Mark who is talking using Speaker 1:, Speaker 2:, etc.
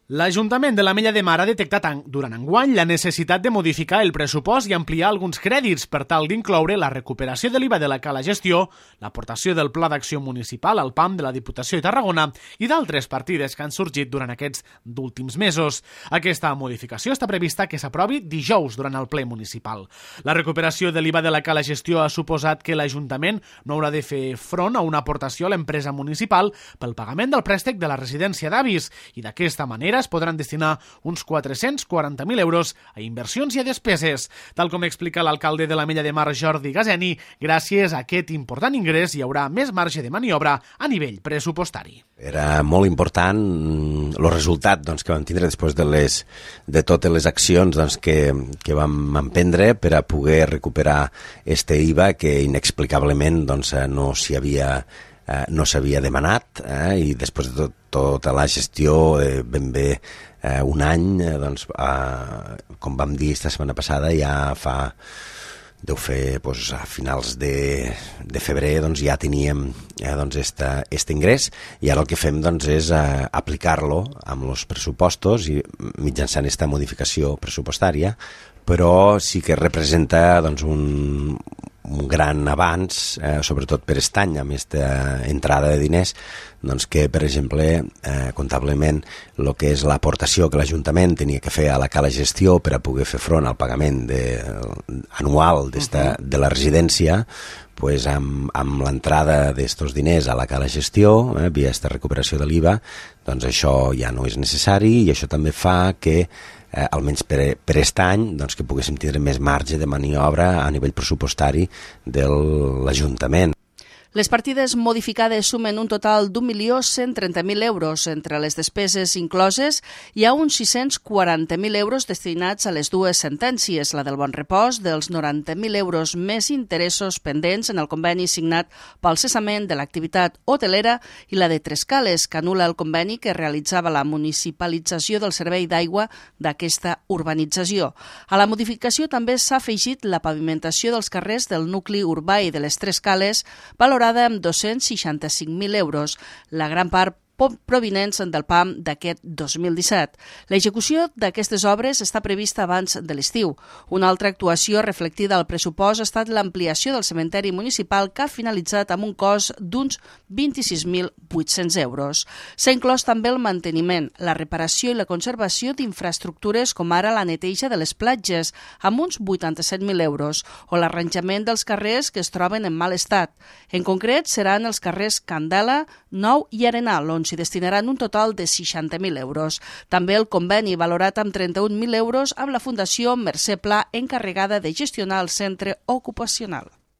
Speaker 1: L'Ajuntament de l'Ametlla de Mar ha detectat durant enguany la necessitat de modificar el pressupost i ampliar alguns crèdits per tal d'incloure la recuperació de l'IVA de la cala gestió, l'aportació del Pla d'Acció Municipal al PAM de la Diputació de Tarragona i d'altres partides que han sorgit durant aquests últims mesos. Aquesta modificació està prevista que s'aprovi dijous durant el ple municipal. La recuperació de l'IVA de la cala gestió ha suposat que l'Ajuntament no haurà de fer front a una aportació a l'empresa municipal pel pagament del préstec de la residència d'avis i d'aquesta manera es podran destinar uns 440.000 euros a inversions i a despeses. Tal com explica l'alcalde de l'Ametlla de Mar, Jordi Gazeni, gràcies a aquest important ingrés hi haurà més marge de maniobra a nivell pressupostari.
Speaker 2: Era molt important el resultat que vam tindre després de totes les accions que vam emprendre per a poder recuperar este IVA que inexplicablement no s'havia demanat i després de tota la gestió ben bé un any, com vam dir esta setmana passada, ja deu fer a finals de febrer ja teníem este ingrés i ara el que fem és aplicar-lo amb els pressupostos i mitjançant aquesta modificació pressupostària, però sí que representa un gran avanç, sobretot per aquest any, amb aquesta entrada de diners, que, per exemple, comptablement, el que és l'aportació que l'Ajuntament tenia que fer a la cala gestió per a poder fer front al pagament anual de la residència, amb l'entrada d'aquests diners a la cala gestió, via aquesta recuperació de l'IVA, això ja no és necessari i això també fa que almenys per aquest any, que poguéssim tindre més marge de maniobra a nivell pressupostari de l'Ajuntament.
Speaker 3: Les partides modificades sumen un total d'1.130.000 euros. Entre les despeses incloses hi ha uns 640.000 euros destinats a les dues sentències, la del Bon Repòs, dels 90.000 euros més interessos pendents en el conveni signat pel cessament de l'activitat hotelera i la de Trescales, que anul·la el conveni que realitzava la municipalització del servei d'aigua d'aquesta urbanització. A la modificació també s'ha afegit la pavimentació dels carrers del nucli urbà i de les Trescales, valorada amb 265.000 euros, la gran part provinents del PAM d'aquest 2017. L'execució d'aquestes obres està prevista abans de l'estiu. Una altra actuació reflectida al pressupost ha estat l'ampliació del cementeri municipal que ha finalitzat amb un cost d'uns 26.800 euros. S'ha inclòs també el manteniment, la reparació i la conservació d'infraestructures com ara la neteja de les platges, amb uns 87.000 euros, o l'arranjament dels carrers que es troben en mal estat. En concret, seran els carrers Candela, Nou i Arenal, on s'hi destinaran un total de 60.000 euros. També el conveni valorat amb 31.000 euros amb la Fundació Mercè Pla, encarregada de gestionar el centre ocupacional.